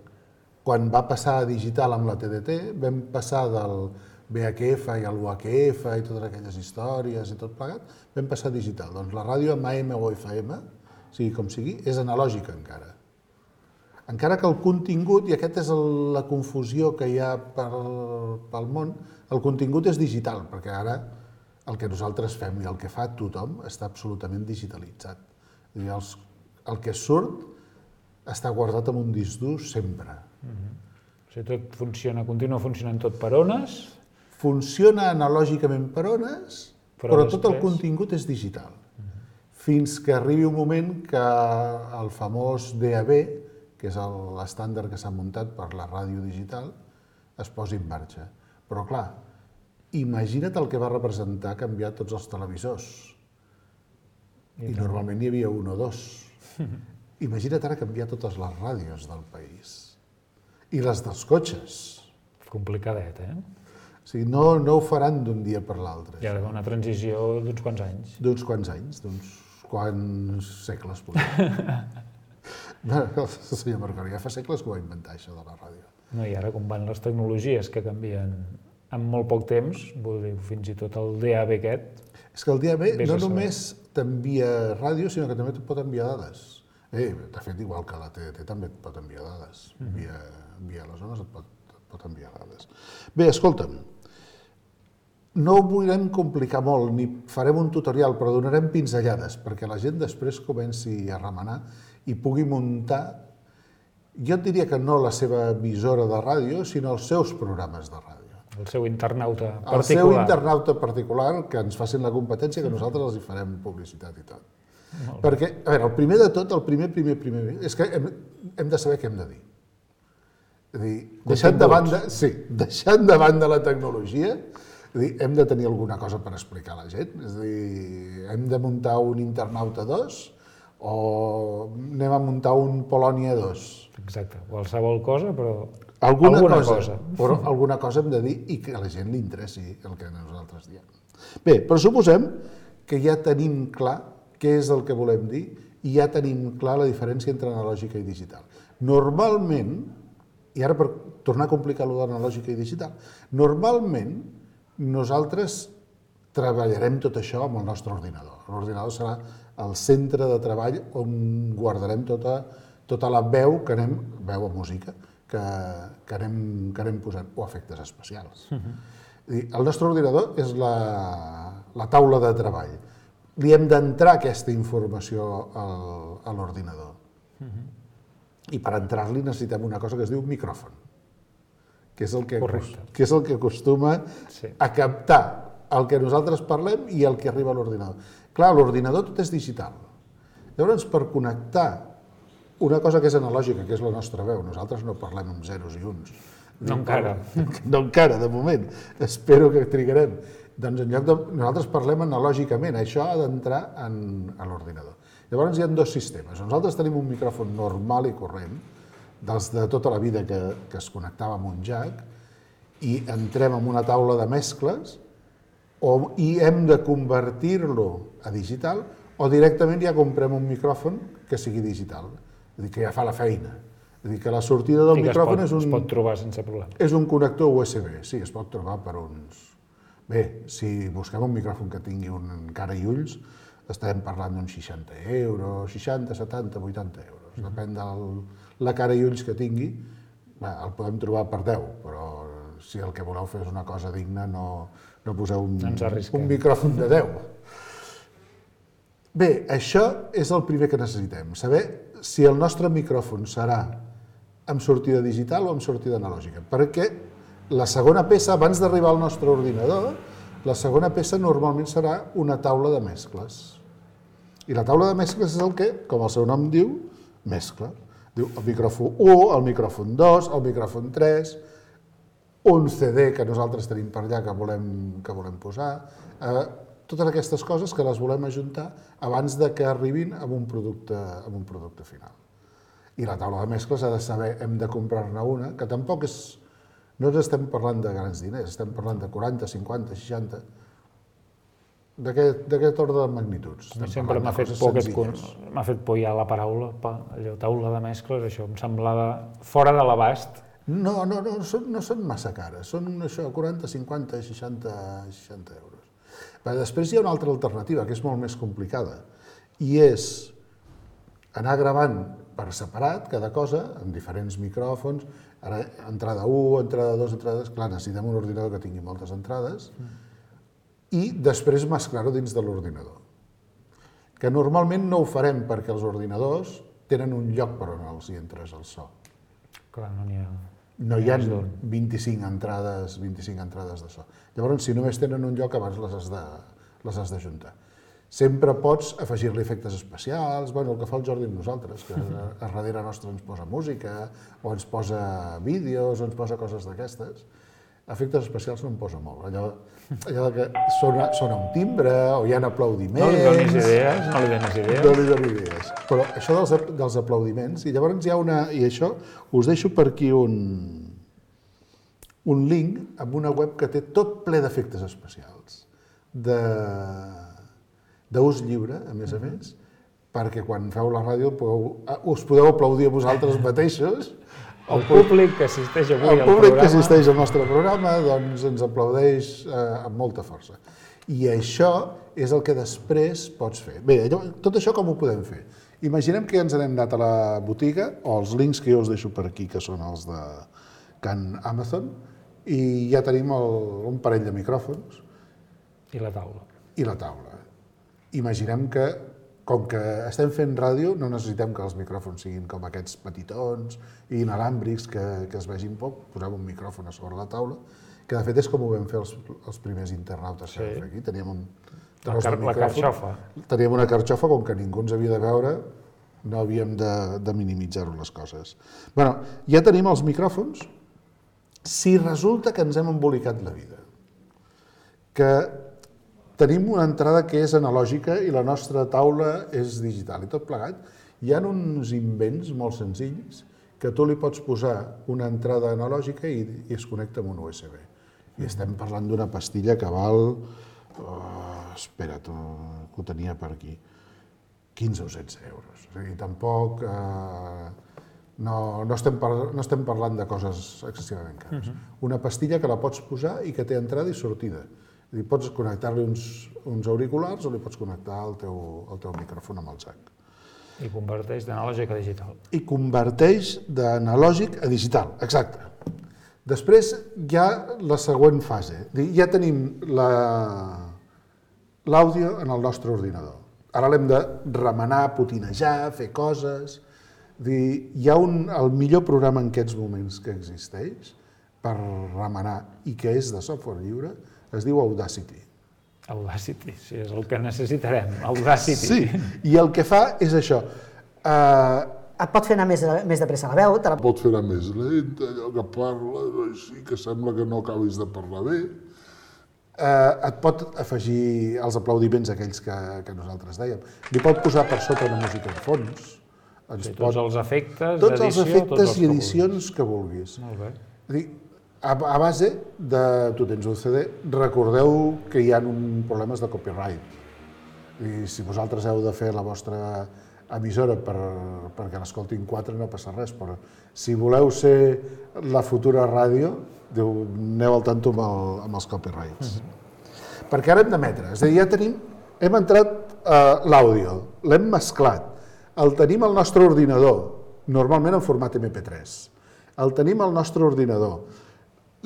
Quan va passar a digital amb la T D T, vam passar del V H F i el U H F i totes aquelles històries i tot plegat, vam passar a digital. Doncs la ràdio amb A M o F M, sigui com sigui, és analògica encara. Encara que el contingut, i aquesta és la confusió que hi ha pel món, el contingut és digital, perquè ara el que nosaltres fem i el que fa tothom està absolutament digitalitzat. El que surt està guardat en un disc dur sempre. O sigui, tot funciona, continua funcionant tot per ones? Funciona analògicament per ones, però tot el contingut és digital. Fins que arribi un moment que el famós D A B, que és l'estàndard que s'ha muntat per la ràdio digital, es posi en marxa. Però clar, imagina't el que va representar canviar tots els televisors. I normalment n'hi havia un o dos. Imagina't ara canviar totes les ràdios del país. I les dels cotxes. Complicadet, eh? O sigui, no ho faran d'un dia per l'altre. Hi ha d'haver una transició d'uns quants anys. D'uns quants anys, d'uns quants segles, potser. El senyor Marconi ja fa segles que ho va inventar, això de la ràdio. No, i ara com van les tecnologies que canvien en molt poc temps, vull dir, fins i tot el D A B aquest... És que el D A B no només t'envia ràdio, sinó que també et pot enviar dades. Eh, de fet, igual que la T D T també et pot enviar dades. Via, via les zones et pot, et pot enviar dades. Bé, escolta'm, no ho volem complicar molt, ni farem un tutorial, però donarem pinzellades perquè la gent després comenci a remenar i pugui muntar, jo et diria que no la seva emissora de ràdio, sinó els seus programes de ràdio. El seu internauta particular. El seu internauta particular, que ens facin la competència, que nosaltres els hi farem publicitat i tot. Perquè, a veure, el primer de tot, el primer, primer, primer, és que hem, hem de saber què hem de dir. És a dir, deixant de banda, sí, deixant de banda la tecnologia, és a dir, hem de tenir alguna cosa per explicar a la gent. És a dir, hem de muntar un internauta dos o anem a muntar un Polònia dos. Exacte, qualsevol cosa, però alguna, alguna cosa, cosa. Però alguna cosa hem de dir i que a la gent li interessi el que nosaltres diem. Bé, però suposem que ja tenim clar què és el que volem dir i ja tenim clar la diferència entre analògica i digital. Normalment, i ara per tornar a complicar allò d'analògica i digital, normalment nosaltres treballarem tot això amb el nostre ordinador. L'ordinador serà el centre de treball on guardarem tota, tota la veu que anem, veu o música, que, que, anem, que anem posant, o efectes especials. Uh-huh. El nostre ordinador és la, la taula de treball. Li hem d'entrar aquesta informació al, a l'ordinador. Uh-huh. I per entrar-li necessitem una cosa que es diu micròfon, que és el que, que, és el que acostuma sí. a captar el que nosaltres parlem i el que arriba a l'ordinador. Clar, l'ordinador tot és digital. Llavors, per connectar una cosa que és analògica, que és la nostra veu, nosaltres no parlem amb zeros i uns. No encara. No encara, de moment. Espero que trigarem. Doncs en lloc de... Nosaltres parlem analògicament, això ha d'entrar en, en l'ordinador. Llavors hi ha dos sistemes. Nosaltres tenim un micròfon normal i corrent, dels de tota la vida que, que es connectava amb un jack, i entrem en una taula de mescles, o, i hem de convertir-lo a digital, o directament ja comprem un micròfon que sigui digital, és a dir, que ja fa la feina. És a dir, que la sortida del micròfon és un... es pot trobar sense problema. És un connector U S B, sí, es pot trobar per uns... Bé, si busquem un micròfon que tingui un cara i ulls, estem parlant d'uns seixanta euros, seixanta, setanta, vuitanta euros. Depèn de la cara i ulls que tingui, bé, el podem trobar per deu, però si el que voleu fer és una cosa digna, no, no poseu un, un micròfon de deu. Bé, això és el primer que necessitem, saber si el nostre micròfon serà amb sortida digital o amb sortida analògica, perquè la segona peça, abans d'arribar al nostre ordinador, la segona peça normalment serà una taula de mescles. I la taula de mescles és el que, com el seu nom diu, mescla. Diu el micròfon u, el micròfon dos, el micròfon tres, un C D que nosaltres tenim per allà que volem, que volem posar, eh, totes aquestes coses que les volem ajuntar abans de que arribin a un producte, a un producte final. I la taula de mescles ha de saber, hem de comprar-ne una, que tampoc és... No ens estem parlant de grans diners, estem parlant de quaranta, cinquanta, seixanta, d'aquest ordre de magnituds. Sempre m'ha fet por m'ha fet por ja la paraula, allò, taula de mescles, això em semblava fora de l'abast. No, no, no, són, no són massa cares, són això, quaranta, cinquanta, seixanta, seixanta euros. Però després hi ha una altra alternativa, que és molt més complicada, i és anar gravant per separat cada cosa, amb diferents micròfons, ara entrada u, entrada dos, entrada dos, clar, necessitem un ordinador que tingui moltes entrades, i després mesclar-ho dins de l'ordinador. Que normalment no ho farem perquè els ordinadors tenen un lloc per on els hi entres el so. Clar, no n'hi ha... No hi ha vint-i-cinc entrades, vint-i-cinc entrades de so. Llavors, si només tenen un lloc, abans les has de, les has d'ajuntar. Sempre pots afegir-li efectes especials, bueno, el que fa el Jordi amb nosaltres, que a darrere nostre ens posa música, o ens posa vídeos, o ens posa coses d'aquestes. Efectes especials no em posa molt, allò, allò que sona, sona un timbre, o hi ha aplaudiments... No li donis idees, no li donis idees. No li donis idees. Però això dels, dels aplaudiments, i llavors hi ha una... I això, us deixo per aquí un, un link amb una web que té tot ple d'efectes especials, de d'ús lliure, a més a més, perquè quan feu la ràdio podeu, us podeu aplaudir a vosaltres mateixos. El públic que assisteix avui al programa... El públic que assisteix al nostre programa doncs ens aplaudeix eh, amb molta força. I això és el que després pots fer. Bé, tot això com ho podem fer? Imaginem que ja ens n'hem anat a la botiga, o els links que jo us deixo per aquí, que són els de Can Amazon, i ja tenim el, un parell de micròfons. I la taula. I la taula. Imaginem que, com que estem fent ràdio, no necessitem que els micròfons siguin com aquests petitons i inalàmbrics que, que es vegin poc, posem un micròfon a sobre la taula, que de fet és com ho vam fer els, els primers internautes que vam fer aquí. Teníem un tros de micròfon. La carxofa. Teníem una carxofa, com que ningú ens havia de veure, no havíem de, de minimitzar-ho les coses. Bé, ja tenim els micròfons, si resulta que ens hem embolicat la vida, que tenim una entrada que és analògica i la nostra taula és digital i tot plegat. Hi ha uns invents molt senzills que tu li pots posar una entrada analògica i, i es connecta amb un U S B. I estem parlant d'una pastilla que val... Oh, espera't, oh, que ho tenia per aquí. quinze o setze euros. O sigui, tampoc... Eh, no, no, estem par, no estem parlant de coses excessivament cares. Uh-huh. Una pastilla que la pots posar i que té entrada i sortida. I pots connectar-li uns, uns auriculars o li pots connectar el teu, el teu micròfon amb el jack. I converteix d'analògic a digital. I converteix d'analògic a digital, exacte. Després hi ha la següent fase. Ja tenim l'àudio en el nostre ordinador. Ara l'hem de remenar, potinejar, fer coses. Hi ha un, el millor programa en aquests moments que existeix per remenar i que és de software lliure, es diu Audacity. Audacity, sí, és el que necessitarem, Audacity. Sí, i el que fa és això. Uh, Et pot fer anar més, més de pressa la veu, te la... pot fer anar més lenta, allò que parles així, que sembla que no acabis de parlar bé. Uh, et pot afegir els aplaudiments aquells que, que nosaltres dèiem. Li pot posar per sota una música de fons. Ens Sí, pot... tots els efectes Tots els d'edició, efectes tots els i que edicions que vulguis. Molt bé. És a dir, a, a base de... Tu tens un C D, recordeu que hi ha un problemes de copyright. I si vosaltres heu de fer la vostra emissora per, perquè l'escoltin quatre no passa res, però si voleu ser la futura ràdio, diu, aneu al tanto amb, el, amb els copyrights. Mm-hmm. Perquè ara hem d'emetre, és a dir, ja tenim, hem entrat uh, l'àudio, l'hem mesclat, el tenim al nostre ordinador, normalment en format ema pe tres, el tenim al nostre ordinador,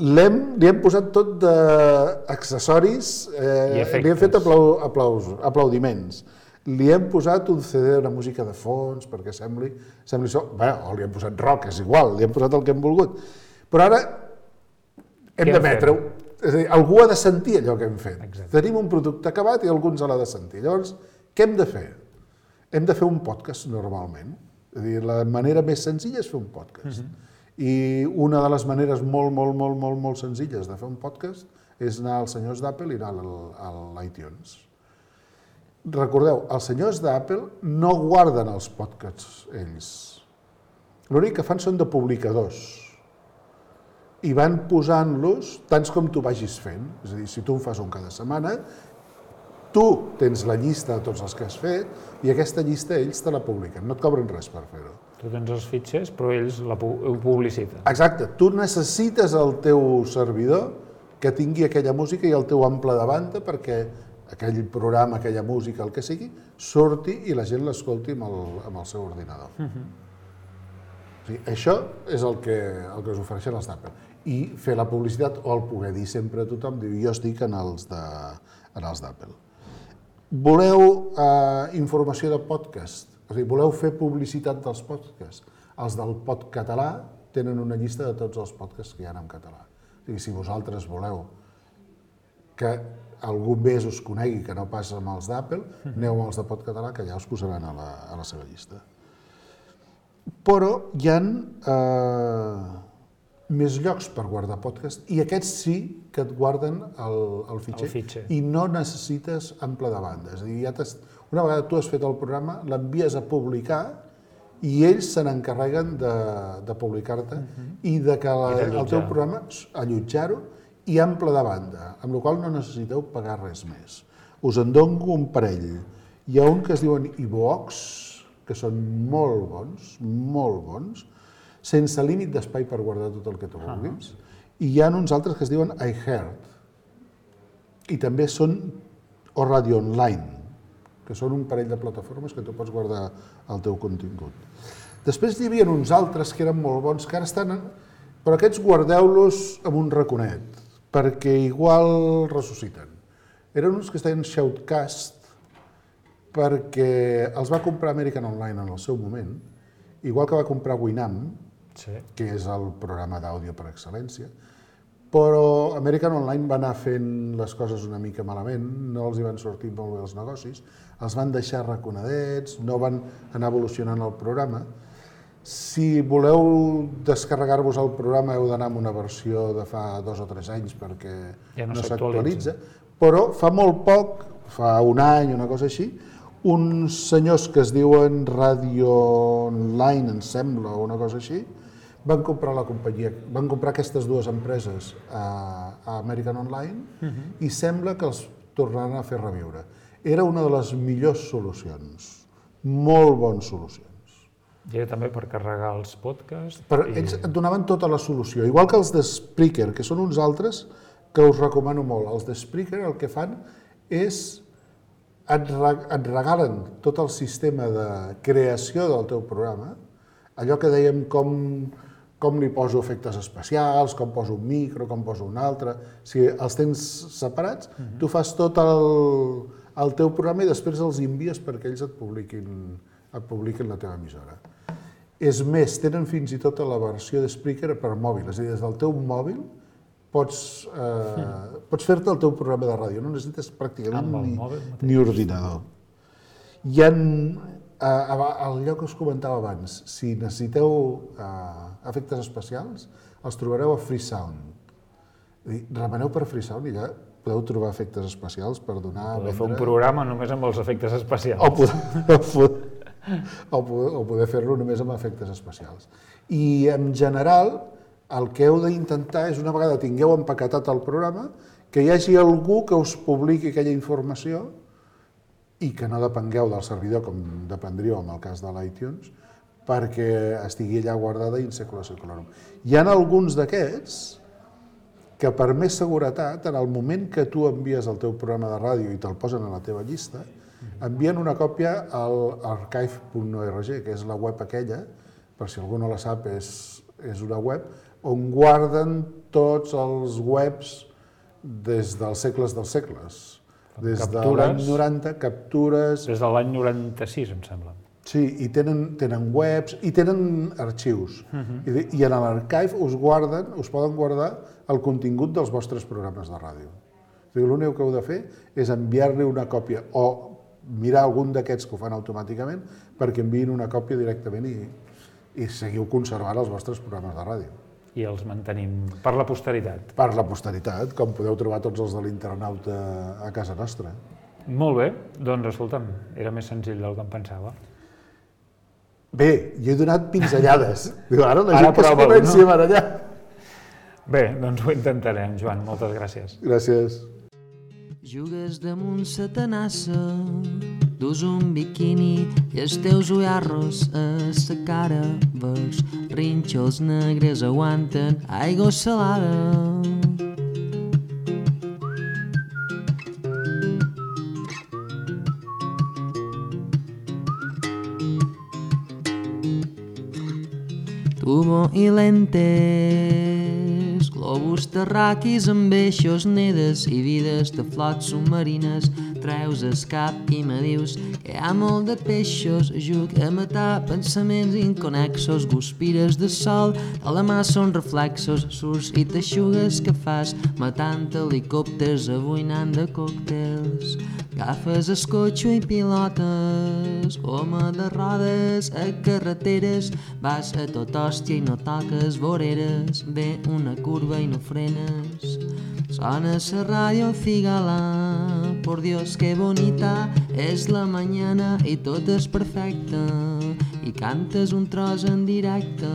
l'hem, li hem posat tot d'accessoris, eh, li hem fet aplau, aplaus, aplaudiments, li hem posat un C D, una música de fons, perquè sembli, sembli això, bé, o li hem posat rock, és igual, li hem posat el que hem volgut. Però ara hem d'emetre-ho. És a dir, algú ha de sentir allò que hem fet. Exacte. Tenim un producte acabat i algú ens l'ha de sentir. Llavors, què hem de fer? Hem de fer un podcast normalment. És a dir, la manera més senzilla és fer un podcast. Uh-huh. I una de les maneres molt, molt, molt, molt, molt senzilles de fer un podcast és anar als senyors d'Apple i anar a l'iTunes. Recordeu, els senyors d'Apple no guarden els podcasts ells. L'únic que fan són de publicadors. I van posant-los tants com tu vagis fent. És a dir, si tu en fas un cada setmana, tu tens la llista de tots els que has fet i aquesta llista ells te la publiquen. No et cobren res per fer-ho. Tu tens els fitxers, però ells la pu ho publiciten. Exacte. Tu necessites el teu servidor que tingui aquella música i el teu ample de banda perquè aquell programa, aquella música, el que sigui, surti i la gent l'escolti amb, el, amb el seu ordinador. Uh-huh. O sigui, això és el que, el que us ofereixen els d'Apple. I fer la publicitat o el poder dir sempre a tothom, diu, jo estic en els d'Apple. Voleu eh, informació de podcast? O sigui, voleu fer publicitat dels podcasts? Els del Podcatalà tenen una llista de tots els podcasts que hi ha en català. O sigui, si vosaltres voleu que algú més us conegui que no passa amb els d'Apple, aneu amb els de Podcatalà, que ja us posaran a la, a la seva llista. Però hi ha eh, més llocs per guardar podcast i aquests sí que et guarden el, el, fitxer, el fitxer i no necessites ample de banda. És a dir, ja una vegada tu has fet el programa, l'envies a publicar i ells se n'encarreguen de, de publicar-te uh-huh. i de que la, I el teu programa, allotjar-ho i ample de banda, amb la qual no necessiteu pagar res més. Us en dono un parell. Hi ha un que es diuen iVoox, que són molt bons, molt bons, sense límit d'espai per guardar tot el que tu vulguis, uh-huh. i hi ha uns altres que es diuen iHeart, i també són o Radio Online, que són un parell de plataformes que tu pots guardar el teu contingut. Després hi havia uns altres que eren molt bons, que ara estan... En... Però aquests guardeu-los amb un raconet, perquè igual ressusciten. Eren uns que es deien Shoutcast, perquè els va comprar American Online en el seu moment, igual que va comprar Winamp, sí. que és el programa d'àudio per excel·lència, però American Online va anar fent les coses una mica malament, no els hi van sortir molt bé els negocis, els van deixar raconadets, no van anar evolucionant el programa. Si voleu descarregar-vos el programa heu d'anar amb una versió de fa dos o tres anys perquè ja no, no s'actualitza, però fa molt poc, fa un any, una cosa així, uns senyors que es diuen Radio Online, em sembla, o una cosa així, van comprar la companyia, van comprar aquestes dues empreses a, a American Online uh-huh. i sembla que els tornaran a fer reviure. Era una de les millors solucions, molt bones solucions. I era també per carregar els podcasts. Però i... ells et donaven tota la solució, igual que els de Spreaker, que són uns altres que us recomano molt. Els de Spreaker el que fan és et, re, et regalen tot el sistema de creació del teu programa, allò que dèiem com, com li poso efectes especials, com poso un micro, com poso un altre, si els tens separats, uh-huh. tu fas tot el, el teu programa i després els envies perquè ells et publiquin, et publiquin la teva emissora. És més, tenen fins i tot la versió de Spreaker per mòbil, és a dir, des del teu mòbil pots, eh, pots fer-te el teu programa de ràdio, no necessites pràcticament Amb el ni, mòbil mateix. ni ordinador. Hi ha, al lloc que us comentava abans, si necessiteu eh, efectes especials, els trobareu a Freesound. Remeneu per Freesound i ja podeu trobar efectes especials per donar... Podeu fer un programa només amb els efectes especials. O poder, o poder, o poder fer-lo només amb efectes especials. I en general, el que heu d'intentar és, una vegada tingueu empaquetat el programa, que hi hagi algú que us publiqui aquella informació i que no depengueu del servidor, com dependríeu en el cas de l'iTunes, perquè estigui allà guardada in secula seculorum. Hi ha alguns d'aquests que, per més seguretat, en el moment que tu envies el teu programa de ràdio i te'l posen a la teva llista, envien una còpia al archive punt org, que és la web aquella, per si algú no la sap, és, és una web on guarden tots els webs des dels segles dels segles. Des de l'any noranta, captures... Des de l'any noranta-sis, em sembla. Sí, i tenen, tenen webs i tenen arxius. Uh-huh. I, I en l'archive us guarden, us poden guardar el contingut dels vostres programes de ràdio. O sigui, l'únic que heu de fer és enviar-li una còpia o mirar algun d'aquests que ho fan automàticament perquè enviïn una còpia directament i, i seguiu conservant els vostres programes de ràdio. I els mantenim per la posteritat. Per la posteritat, com podeu trobar tots els de l'internauta a casa nostra. Molt bé, doncs escolta'm, era més senzill del que em pensava. Bé, jo he donat pinzellades. Diu, ara la Ara gent que es prova-ho, comenci no? a barallar. Bé, doncs ho intentarem, Joan, moltes gràcies. Gràcies. Jugues damunt sa tenassa, dus un biquini i els teus ullarros a sa cara, vers rínxols negres aguanten aigua salada. Tubo i lentes, globus terraquis amb eixos, nedes i vides de flots submarines. Treus el cap i me dius que hi ha molt de peixos. Juc a matar pensaments inconexos, guspires de sol, de la mà són reflexos, surts i t'aixugues que fas, matant helicòpters, abuinant de còctels. Agafes el cotxe i pilotes, goma de rodes a carreteres, vas a tot hòstia i no toques voreres, ve una curva i no frenes. Sona la ràdio Figala, por Dios que bonita és la mañana i tot és perfecte, i cantes un tros en directe.